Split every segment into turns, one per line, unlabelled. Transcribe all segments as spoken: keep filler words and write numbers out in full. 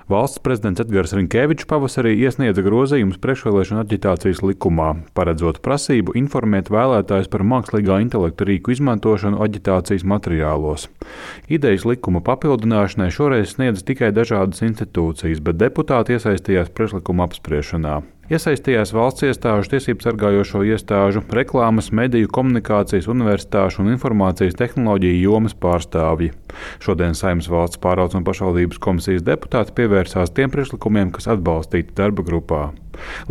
Valsts prezidents Edgars Rinkevičs pavasarī iesniedza grozījumus priekšvēlēšanu aģitācijas likumā, paredzot prasību informēt vēlētājus par mākslīgā intelekta rīku izmantošanu aģitācijas materiālos. Idejas likuma papildināšanai šoreiz sniedza tikai dažādas institūcijas, bet deputāti iesaistījās priekšlikuma apspriešanā. Iesaistījās valsts iestāžu, tiesību sargājošo iestāžu, reklāmas, mediju, komunikācijas, universitāšu un informācijas tehnoloģiju jomas pārstāvji. Šodien Saeimas valsts pārvaldes un pašvaldības komisijas deputāti pievērsās tiem priekšlikumiem, kas atbalstīti darba grupā.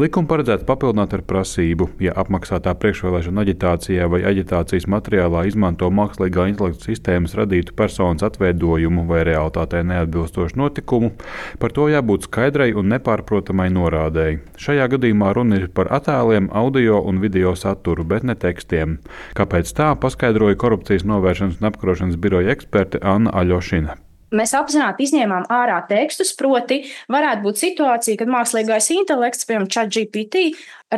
Likumu paredzēts papildināt ar prasību, ja apmaksātā priekšvēlēšana aģitācijā vai aģitācijas materiālā izmanto mākslīgā intelekta sistēmas radītu personas atveidojumu vai realitātei neatbilstošu notikumu, par to jābūt skaidrai un nepārprotamai norādēji. Šajā gadījumā runa ir par attēliem, audio un video saturu, bet ne tekstiem. Kāpēc tā, paskaidroja korupcijas novēršanas un apkarošanas biroja eksperte Anna Aļošina.
Mēs apzināti izņēmām ārā tekstus, proti varētu būt situācija, kad mākslīgais intelekts, piemēram, ChatGPT,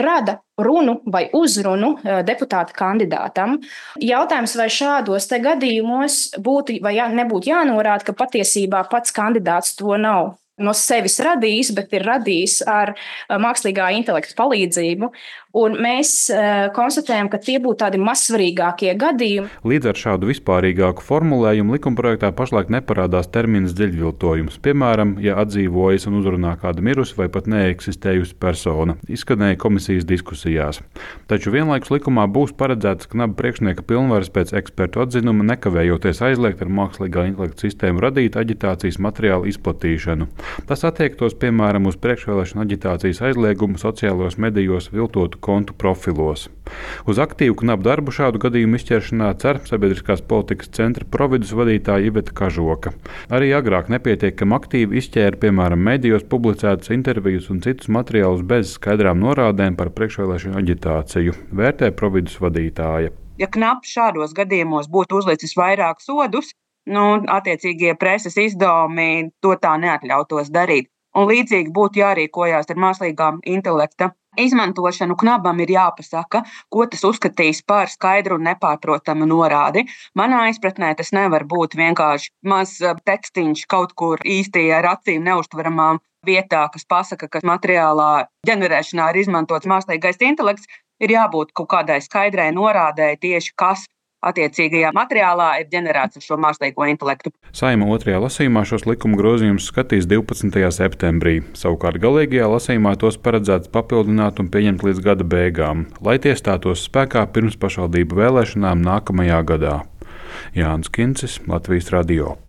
rada runu vai uzrunu deputāta kandidātam. Jautājums, vai šādos te gadījumos būtu vai jā, nebūtu jānorāda, ka patiesībā pats kandidāts to nav no sevis radījis, bet ir radījis ar mākslīgā intelekta palīdzību. Un mēs uh, konstatējam, ka tie būtu tādi mazsvarīgākie gadījumi.
Līdz ar šādu vispārīgāku formulējumu likumprojektā pašlaik neparādās termins dziļviltojums. Piemēram, ja atdzīvojas un uzrunā kāda mirusi vai pat neeksistējusi persona, izskanēja komisijas diskusijās. Taču vienlaikus likumā būs paredzēts knaba priekšnieka pilnvaras pēc ekspertu atzinuma nekavējoties aizliegt ar mākslīgā intelekta sistēmu radīt aģitācijas materiālu izplatīšanu. Tas attiektos, piemēram, uz priekšvēlēšanu aģitācijas aizliegumu sociālos medijos viltotu kontu profilos. Uz aktīvu knapu darbu šādu gadījumu izķeršanā cer Sabiedriskās politikas centra providus vadītāja Iveta Kažoka. Arī agrāk nepietiekami aktīvi izķēra, piemēram, medijos publicētas intervijas un citus materiālus bez skaidrām norādēm par priekšvēlēšanu aģitāciju, vērtē providus vadītāja.
Ja knaps šādos gadījumos būtu uzlicis vairāk sodus, nu, attiecīgie preses izdevumi to tā neatļautos darīt. Un līdzīgi būtu jārīkojās ar mākslīgā intelekta izmantošanu. Knabam ir jāpasaka, ko tas uzskatīs par skaidru un nepārprotamu norādi. Manā izpratnē tas nevar būt vienkārši maz tekstiņš kaut kur īsti ar acīm neuztveramām vietā, kas pasaka, ka materiālā ģenerēšanā ir izmantots mākslīgais intelekts. Ir jābūt kaut kādai skaidrai norādēji tieši, kas attiecīgajā materiālā ir ģenerēts ar šo mākslīgo intelektu.
Saeima otrajā lasījumā šos likuma grozījumus skatīs divpadsmitajā septembrī. Savukārt galīgajā lasījumā tos paredzēts papildināt un pieņemt līdz gada beigām, lai tie stātos spēkā pirms pašvaldību vēlēšanām nākamajā gadā. Jānis Kincis, Latvijas radio.